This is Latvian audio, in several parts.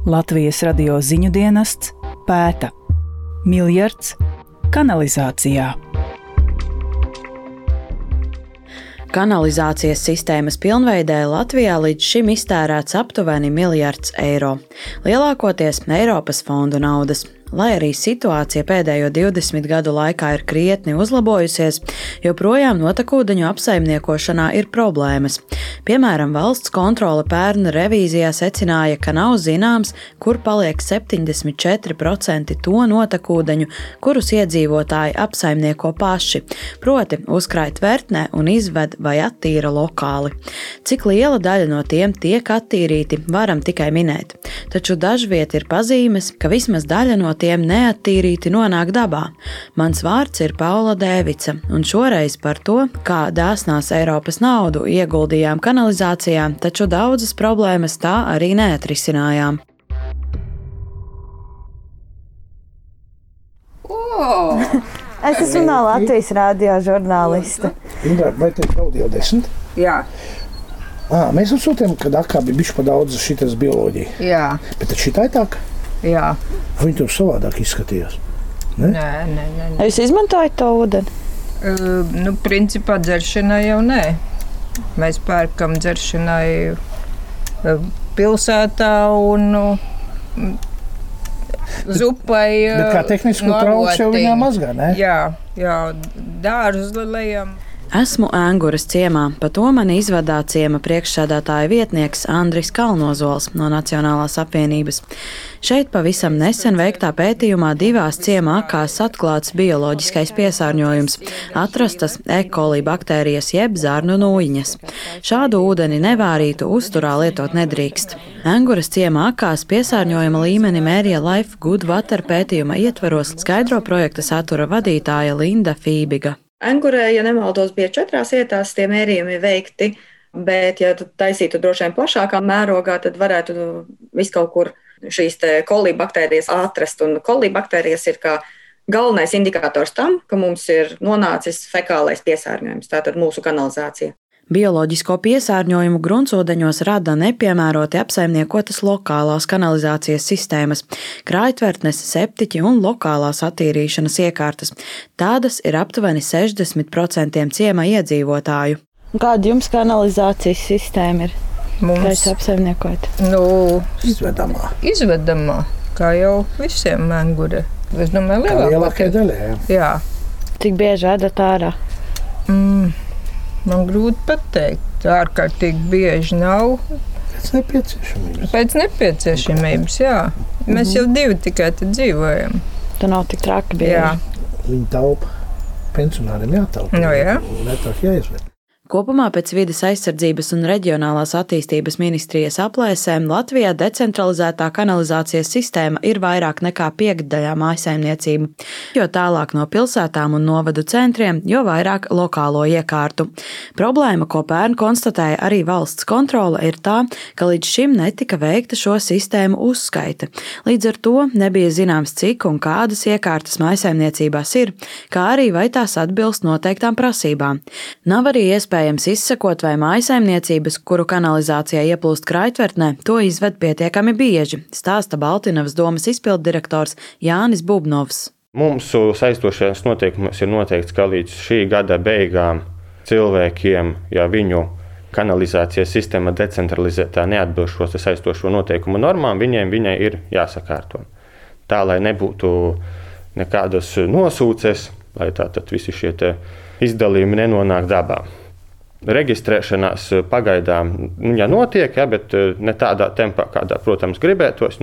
Latvijas radio ziņu dienests pēta miljards kanalizācijā. Kanalizācijas sistēmas pilnveidē Latvijā līdz šim iztērēts aptuveni miljards eiro. Lielākoties Eiropas fondu naudas. Lai arī situācija pēdējo 20 gadu laikā ir krietni uzlabojusies, joprojām notekūdeņu apsaimniekošanā ir problēmas. Piemēram, valsts kontrole pērn revīzijā secināja, ka nav zināms, kur paliek 74% to notekūdeņu, kurus iedzīvotāji apsaimnieko paši, proti uzkrāj tvertnē un izved vai attīra lokāli. Cik liela daļa no tiem tiek attīrīti, varam tikai minēt. Taču dažviet ir pazīmes, ka vismaz daļa no tiem neattīrīti nonāk dabā. Mans vārds ir Paula Dēvica, un šoreiz par to, kā dāsnās Eiropas naudu ieguldījām kanalizācijā, taču daudzas problēmas tā arī neatrisinājām. Es esmu no Latvijas radio žurnāliste. Indra, vai te daudz jau 10? Jā. Mēs uzsūtījām, kad akā bija bišķi pa daudz šitas bioloģija. Jā. Bet tad šitā tā? Jā. Viņi tur savādāk izskatījās. Ne? Nē. Jūs izmantojat to ūdeni? Principā dzeršanai jau nē. Mēs pērkam dzeršanai pilsētā un zupai. Bet kā tehnisku trauks jau viņā mazgā, ne? Jā, dārzus lejam. Esmu Ēnguras ciemā, pa to mani izvadā ciema priekšsēdētāja vietnieks Andris Kalnozols no Nacionālās apvienības. Šeit pavisam nesen veiktā pētījumā divās ciemā akās atklāts bioloģiskais piesārņojums, atrastas E. coli baktērijas jeb zarnu nūjiņas. Šādu ūdeni nevārītu uzturā lietot nedrīkst. Ēnguras ciemā akās piesārņojuma līmeni mērīja Life Good Water pētījuma ietvaros, skaidro projekta satura vadītāja Linda Fībiga. Ēngurē, ja nemaldos, bija 4 vietās tie mērījumi veikti, bet, ja taisītu droši vien plašākā mērogā, tad varētu visu kaut kur šīs coli baktērijas atrast. Un coli baktērijas ir kā galvenais indikators tam, ka mums ir nonācis fekālais piesārņojums, tātad mūsu kanalizācija. Bioloģisko piesārņojumu gruntsūdeņos rada nepiemēroti apsaimniekotas lokālās kanalizācijas sistēmas, krājtvertnes, septiķi un lokālās attīrīšanas iekārtas. Tādas ir aptuveni 60% ciema iedzīvotāju. Kāda jums kanalizācijas sistēma ir? Mums apsaimniekot? Izvedamā, kā jau visiem Ēngurē. Es domāju, lielākajai daļai. Jā. Cik bieži vedat ārā? Man grūti pateikt. Ārkārtīgi bieži nav. Pēc nepieciešamības, jā. Mēs jau 2 tikai te dzīvojam. Tā nav tik traki bieži. Jā. Viņi taupa, pensionāriem jātaupa. Jā. Netāk jāizved. Kopumā pēc Vides aizsardzības un reģionālās attīstības ministrijas aplēsēm Latvijā decentralizētā kanalizācijas sistēma ir vairāk nekā 5/5 mājsaimniecību, jo tālāk no pilsētām un novadu centriem, jo vairāk lokālo iekārtu. Problēma, ko pērn konstatēja arī valsts kontrole, ir tā, ka līdz šim netika veikta šo sistēmu uzskaite. Līdz ar to nebija zināms, cik un kādas iekārtas mājsaimniecībās ir, kā arī vai tās atbilst noteiktām prasībām. Nav arī iespējams izsekot, vai mājsaimniecības, kuru kanalizācijā ieplūst krājtvertnē, to izved pietiekami bieži, stāsta Baltinavas domas izpilddirektors Jānis Bubnovs. Mūsu saistošajos noteikumos ir noteikts, ka līdz šī gada beigām cilvēkiem, ja viņu kanalizācijas sistēma decentralizētā neatbilst šo saistošo noteikumu normām, viņai ir jāsakārto. Tā, lai nebūtu nekādas nosūces, lai tātad visi šie izdalījumi nenonāk dabā. Reģistrēšanās pagaidām notiek, bet ne tādā tempā, kādā, protams, gribētos.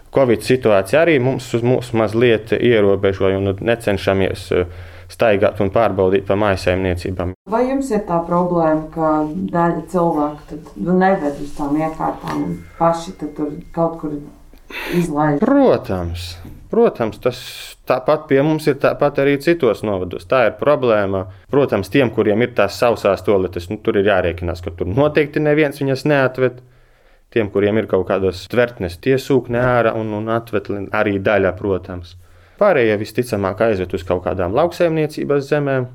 Covid situācija arī mums mazliet ierobežoja un necenšamies staigāt un pārbaudīt pa mājsaimniecībām. Vai jums ir tā problēma, ka daļa cilvēku neved uz tām iekārtām un paši tur kaut kur izlaiž? Protams, tas tāpat pie mums ir, tāpat arī citos novados. Tā ir problēma. Protams, tiem, kuriem ir tās sausās toaletes, tur ir jārēķinās, ka tur noteikti neviens viņas neatved. Tiem, kuriem ir kaut kādas tvertnes, tie sūkne ārā un atved arī daļa, protams. Pārējie visticamāk aizved uz kaut kādām lauksaimniecības zemēm.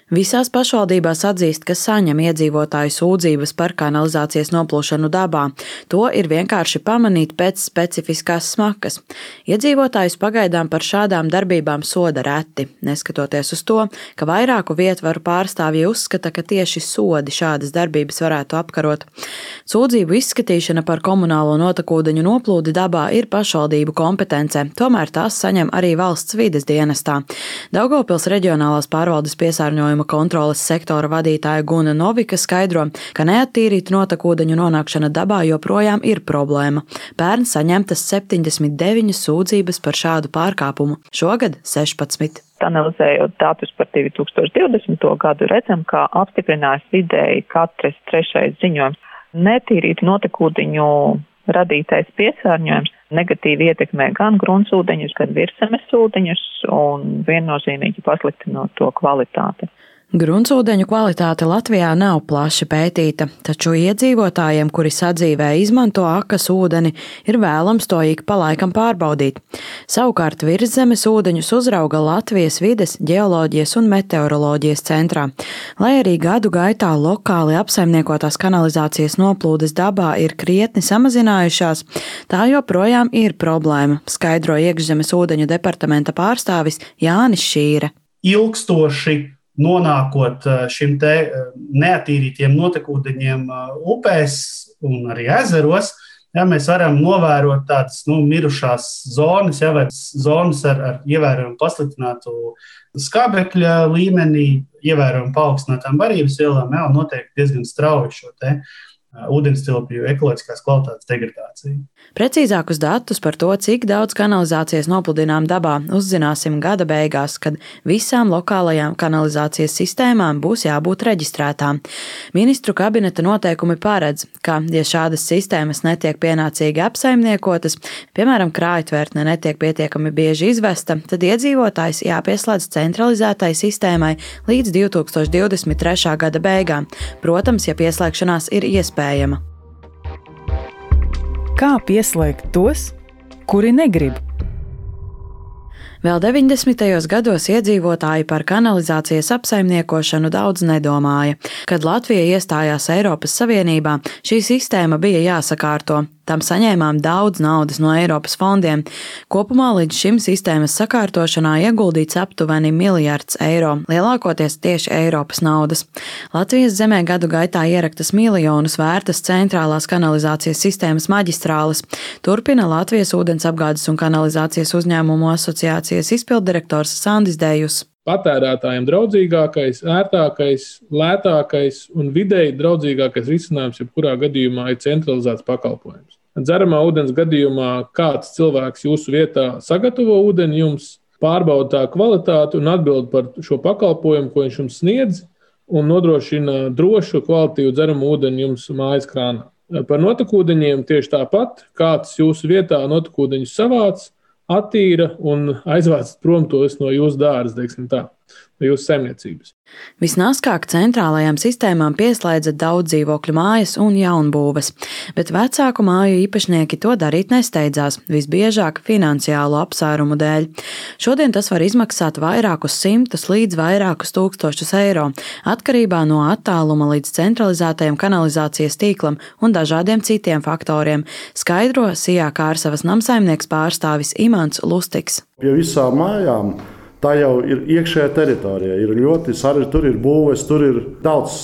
Visās pašvaldībās atzīst, ka saņem iedzīvotāju sūdzības par kanalizācijas noplūšanu dabā. To ir vienkārši pamanīt pēc specifiskās smakas. Iedzīvotājus pagaidām par šādām darbībām soda reti, neskatoties uz to, ka vairāku vietvaru pārstāvji uzskata, ka tieši sodi šādas darbības varētu apkarot. Sūdzību izskatīšana par komunālo notekūdeņu noplūdi dabā ir pašvaldību kompetencē, tomēr tās saņem arī valsts vides dienestā. Daugavpils reģionālās pārvaldes piesārņojuma kontroles sektora vadītāja Guna Novika skaidro, ka neattīrītu notekūdeņu nonākšana dabā joprojām ir problēma. Pērn saņemtas 79 sūdzības par šādu pārkāpumu, šogad 16. Analizējot datus par 2020. gadu, redzam, ka apstiprinājās vidēji katrs 3. ziņojums. Netīrītu notekūdeņu radītais piesārņojums negatīvi ietekmē gan gruntsūdeņus, gan virszemes ūdeņus un viennozīmīgi pasliktinot to kvalitāti. Gruntsūdeņu kvalitāte Latvijā nav plaši pētīta, taču iedzīvotājiem, kuri sadzīvē izmanto akas ūdeni, ir vēlams to ik pa laikam pārbaudīt. Savukārt virszemes ūdeņus uzrauga Latvijas vides, ģeoloģijas un meteoroloģijas centrā. Lai arī gadu gaitā lokāli apsaimniekotās kanalizācijas noplūdes dabā ir krietni samazinājušās, tā joprojām ir problēma, skaidro iekšzemes ūdeņu departamenta pārstāvis Jānis Šīre. Ilgstoši nonākot šim te neatīrītiem notekūdeņiem upēs un arī ezeros, mēs varam novērot tādas mirušās zonas, vai zonas ar ievērojumu pasliktinātu skābekļa līmenī, ievērojumu paaugstinātām barības vielām, un noteikti diezgan strauji šo te ūdenstilpju ekoloģiskās kvalitātes degradāciju. Precīzākus datus par to, cik daudz kanalizācijas nopludinām dabā, uzzināsim gada beigās, kad visām lokālajām kanalizācijas sistēmām būs jābūt reģistrētām. Ministru kabineta noteikumi paredz, ka, ja šādas sistēmas netiek pienācīgi apsaimniekotas, piemēram, krājtvērtne netiek pietiekami bieži izvesta, tad iedzīvotājs jāpieslēdz centralizētai sistēmai līdz 2023. gada beigām. Protams, ja pieslēgšanās ir iespējama. Kā pieslēgt tos, kuri negrib? Vēl 90. gados iedzīvotāji par kanalizācijas apsaimniekošanu daudz nedomāja. Kad Latvija iestājās Eiropas Savienībā, šī sistēma bija jāsakārto. Tam saņēmām daudz naudas no Eiropas fondiem. Kopumā līdz šim sistēmas sakārtošanā ieguldīts aptuveni 1 miljards eiro, lielākoties tieši Eiropas naudas. Latvijas zemē gadu gaitā ieraktas miljonus vērtas centrālās kanalizācijas sistēmas maģistrāles, turpina Latvijas ūdensapgādes un kanalizācijas uzņēmumu asociācijas izpilddirektors Sandis Dejus. Patērētājiem draudzīgākais, ērtākais, lētākais un vidēji draudzīgākais risinājums jebkurā gadījumā ir centralizēts pakalpojums. Dzeramā ūdens gadījumā kāds cilvēks jūsu vietā sagatavo ūdeni jums, pārbauda tā kvalitāti un atbild par šo pakalpojumu, ko viņš jums sniedz, un nodrošina drošu, kvalitatīvu dzeramu ūdeni jums mājas krānā. Par notekūdeņiem tieši tāpat, kāds jūsu vietā notekūdeņus savāc, attīra un aizvāc prom tos no jūsu dārza, teiksim tā, no jūsu saimniecības. Visnāskāk centrālajām sistēmām pieslēdza daudz dzīvokļu mājas un jaunbūves, bet vecāku māju īpašnieki to darīt nesteidzās, visbiežāk finansiālu apsvērumu dēļ. Šodien tas var izmaksāt vairākus simtus līdz vairākus tūkstošus eiro, atkarībā no attāluma līdz centralizētajam kanalizācijas tīklam un dažādiem citiem faktoriem, skaidro Sijā Kārsavas namsaimnieks pārstāvis Imants Lustiks. Pie visām mājām tā jau ir iekšējā teritorijā, ir ļoti sarežģīta, tur ir būves, tur ir daudz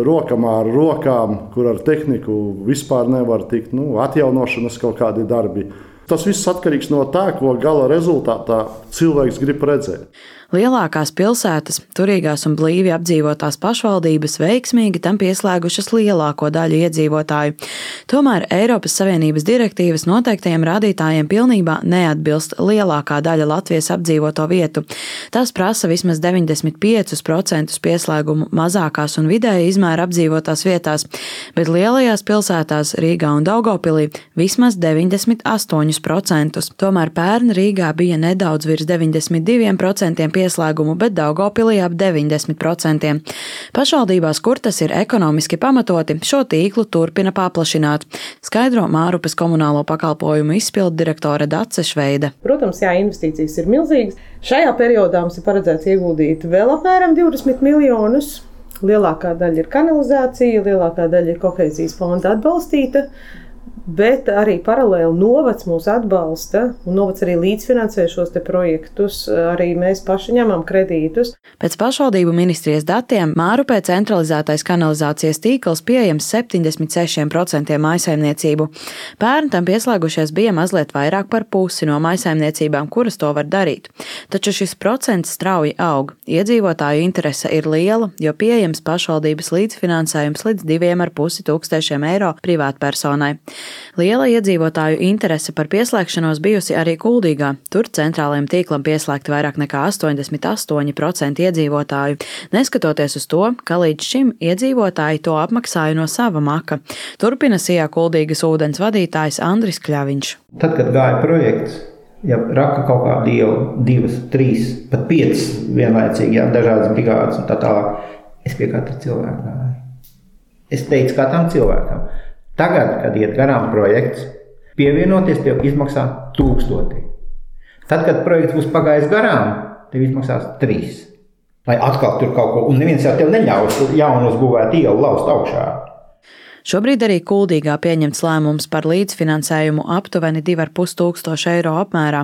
rokamā ar rokām, kur ar tehniku vispār nevar tikt, atjaunošanas kaut kādi darbi. Tas viss atkarīgs no tā, ko gala rezultātā cilvēks grib redzēt. Lielākās pilsētas, turīgās un blīvi apdzīvotās pašvaldības veiksmīgi tam pieslēgušas lielāko daļu iedzīvotāju. Tomēr Eiropas Savienības direktīvas noteiktajiem rādītājiem pilnībā neatbilst lielākā daļa Latvijas apdzīvoto vietu. Tas prasa vismaz 95% pieslēgumu mazākās un vidēja izmēra apdzīvotās vietās, bet lielajās pilsētās Rīgā un Daugavpilī vismaz 98%. Tomēr pērn Rīgā bija nedaudz virs 92% pieslēgumu, bet Daugavpilī ap 90%. Pašvaldībās, kur tas ir ekonomiski pamatoti, šo tīklu turpina paplašināt, skaidro Mārupes komunālo pakalpojumu izpilddirektore Dace Šveide. Protams, investīcijas ir milzīgas. Šajā periodā mums ir paredzēts ieguldīt vēl apmēram 20 miljonus. Lielākā daļa ir kanalizācija, lielākā daļa ir kohēzijas fonda atbalstīta. Bet arī paralēli novads mūs atbalsta, un novads arī līdzfinansē šos te projektus, arī mēs paši ņemam kredītus. Pēc pašvaldību ministrijas datiem Mārupē centralizētais kanalizācijas tīkls pieejams 76% mājsaimniecību. Pērn tam pieslēgušies bija mazliet vairāk par pusi no mājsaimniecībām, kuras to var darīt. Taču šis procents strauji aug. Iedzīvotāju interese ir liela, jo pieejams pašvaldības līdzfinansējums līdz 2,5 tūkstošiem eiro privātpersonai. Liela iedzīvotāju interese par pieslēgšanos bijusi arī Kuldīgā. Tur centrālajiem tīklam pieslēgti vairāk nekā 88% iedzīvotāju, neskatoties uz to, ka līdz šim iedzīvotāji to apmaksāja no sava maka. Turpina Sijā Kuldīgas ūdens vadītājs Andris Kļaviņš. Tad, kad gāja projekts, ja raka kaut kādu ielu, 2, 3, pat 5 vienlaicīgi, dažādas brigādes un tā tālāk, es pie katra cilvēka gāju. Es teicu katram cilvēkam. Tagad, kad iet garām projekts, pievienoties tev izmaksā 1000. Tad, kad projekts būs pagājis garām, tev izmaksās 3. Lai atkal tur kaut ko, un neviens jau tev neļaus jaunu uzbūvēt ielu laust augšā. Šobrīd arī Kuldīgā pieņemts lēmums par līdzfinansējumu aptuveni 2,5 tūkstoši eiro apmērā.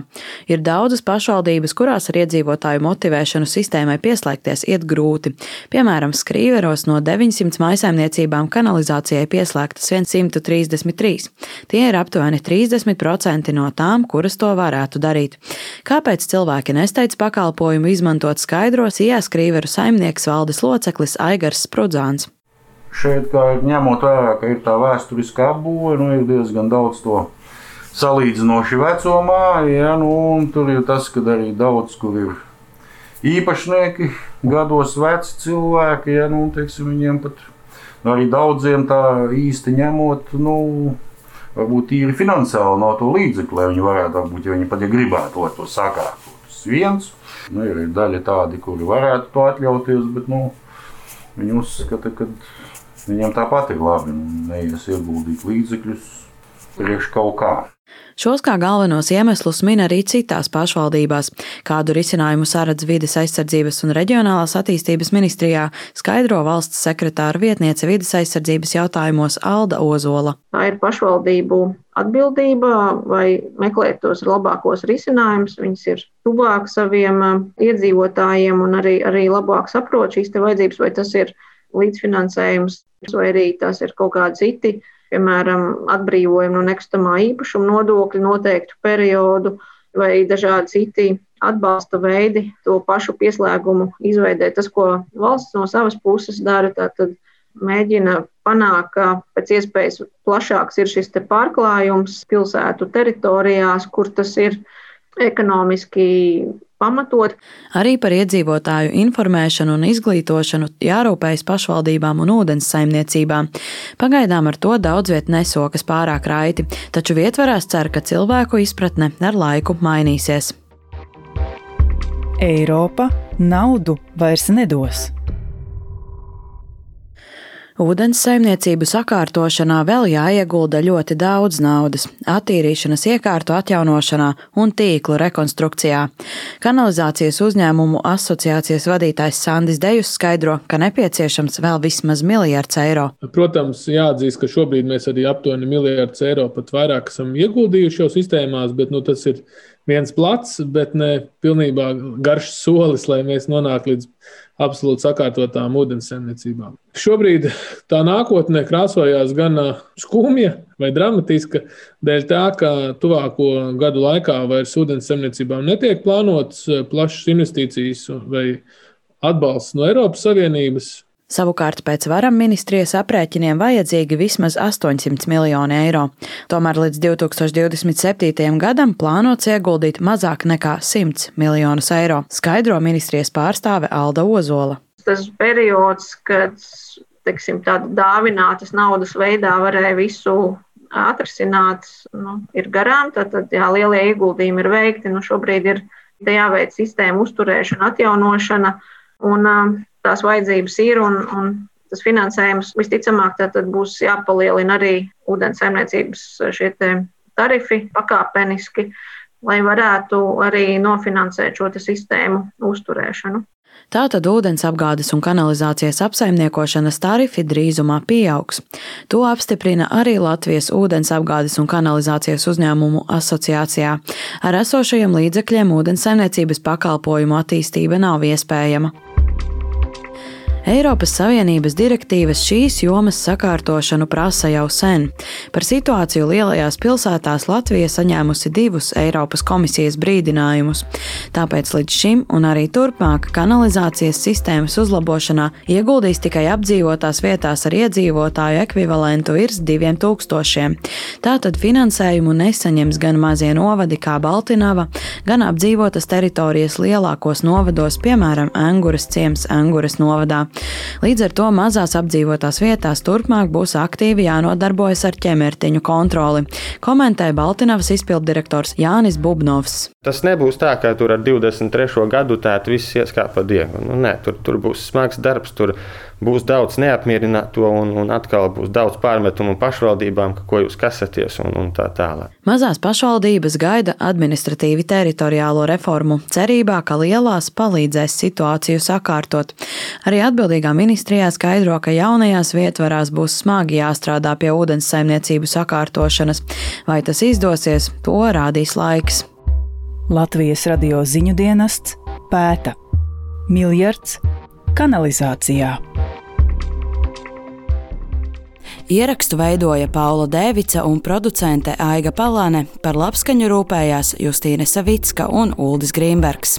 Ir daudzas pašvaldības, kurās ar iedzīvotāju motivēšanu sistēmai pieslēgties iet grūti. Piemēram, Skrīveros no 900 mājsaimniecībām kanalizācijai pieslēgtas 133. Tie ir aptuveni 30% no tām, kuras to varētu darīt. Kāpēc cilvēki nesteidz pakalpojumu izmantot, skaidro Sijā Skrīveru saimnieks valdes loceklis Aigars Sprudzāns. Šeit, kā ņemot vērā, ka ir tā vēsturiskā apbūve, ir diezgan daudz to salīdzinoši veco māju, un tur ir tas, ka arī daudz, kur ir īpašnieki, gados veci cilvēki, teiksim, viņiem pat arī daudziem tā īsti ņemot, varbūt tīri finansiāli nav to līdzekļu, lai viņi varētu, varbūt, ja viņi pat gribētu to sakārtot. Tas viens, ir daļa tādi, kuri varētu to atļauties, bet, viņi uzskata, ka viņiem tāpat ir labi, neies ieguldīt līdzekļus priekš kaut kā. Šos kā galvenos iemeslus min arī citās pašvaldībās. Kādu risinājumu saredz Vides aizsardzības un reģionālās attīstības ministrijā, skaidro valsts sekretāra vietniece vides aizsardzības jautājumos Alda Ozola. Tā ir pašvaldību atbildība, vai meklēt tos labākos risinājumus. Viņas ir tuvāk saviem iedzīvotājiem un arī labāk saprot šīs te vajadzības, vai tas ir līdzfinansējums, vai arī tas ir kaut kādi citi, piemēram, atbrīvojumi no nekustamā īpašuma nodokļa noteiktu periodu, vai dažādi citi atbalsta veidi to pašu pieslēgumu izveidēt. Tas, ko valsts no savas puses dara, tātad mēģina panākt, ka pēc iespējas plašāks ir šis te pārklājums pilsētu teritorijās, kur tas ir ekonomiski pamatot. Arī par iedzīvotāju informēšanu un izglītošanu jārūpējas pašvaldībām un ūdens saimniecībām. Pagaidām ar to daudz viet nesokas pārāk raiti, taču vietvarās cer, ka cilvēku izpratne ar laiku mainīsies. Eiropa naudu vairs nedos. Ūdens saimniecību sakārtošanā vēl jāiegulda ļoti daudz naudas, attīrīšanas iekārtu atjaunošanā un tīklu rekonstrukcijā. Kanalizācijas uzņēmumu asociācijas vadītājs Sandis Dejus skaidro, ka nepieciešams vēl vismaz 1 miljards eiro. Protams, jāatzīst, ka šobrīd mēs arī aptuveni 1 miljards eiro pat vairāk esam ieguldījuši jau sistēmās, bet tas ir viens plats, bet ne pilnībā garš solis, lai mēs nonāktu līdz absolūti sakārtotām ūdenssaimniecībām. Šobrīd tā nākotne krāsojās gan skumja vai dramatiska, dēļ tā, ka tuvāko gadu laikā vairs ūdenssaimniecībām netiek plānotas plašas investīcijas vai atbalsts no Eiropas Savienības. Savukārt pēc varam ministrijas aprēķiniem vajadzīgi vismaz 800 miljoni eiro. Tomēr līdz 2027. gadam plānots ieguldīt mazāk nekā 100 miljonus eiro, skaidro ministrijas pārstāve Alda Ozola. Tas periods, kad tāda dāvinātas naudas veidā varēja visu atrisināt, ir garām. Tad lielie ieguldījumi ir veikti. Šobrīd ir jāveic sistēma uzturēšana, atjaunošana. Un tās vajadzības ir, un tas finansējums visticamāk tad būs jāpalielina arī ūdens saimniecības šie tarifi pakāpeniski. lai varētu arī nofinansēt šo sistēmu uzturēšanu. Tātad ūdens apgādes un kanalizācijas apsaimniekošanas tarifi drīzumā pieaugs. To apstiprina arī Latvijas ūdens apgādes un kanalizācijas uzņēmumu asociācijā. Ar esošajiem līdzekļiem ūdensaimniecības pakalpojumu attīstība nav iespējama. Eiropas Savienības direktīvas šīs jomas sakārtošanu prasa jau sen. Par situāciju lielajās pilsētās Latvija saņēmusi 2 Eiropas komisijas brīdinājumus. Tāpēc līdz šim un arī turpmāk kanalizācijas sistēmas uzlabošanā ieguldīs tikai apdzīvotās vietās ar iedzīvotāju ekvivalentu virs 2000. Tātad finansējumu nesaņems gan mazie novadi kā Baltinava, gan apdzīvotas teritorijas lielākos novados, piemēram, Enguras ciems Enguras novadā. Līdz ar to mazās apdzīvotās vietās turpmāk būs aktīvi jānodarbojas ar ķemertiņu kontroli, komentē Baltinavas izpilddirektors Jānis Bubnovs. Tas nebūs tā, ka tur ar 23. gadu tēt viss ieskāp pa diegu. Nē, tur būs smags darbs, tur būs daudz neapmierināto un atkal būs daudz pārmetumu pašvaldībām, ka ko jūs kasaties un tā tālāk. Mazās pašvaldības gaida administratīvi teritoriālo reformu, cerībā, ka lielās palīdzēs situāciju sakārtot. Arī atbildīgā ministrijā skaidro, ka jaunajās vietvarās būs smagi jāstrādā pie ūdenssaimniecību sakārtošanas. Vai tas izdosies, to rādīs laiks. Latvijas radio ziņu dienests pēta. Miljards kanalizācijā. Ierakstu veidoja Paula Dēvica un producente Aiga Palāne, par labskaņu rūpējās Justīne Savicka un Uldis Grīmbergs.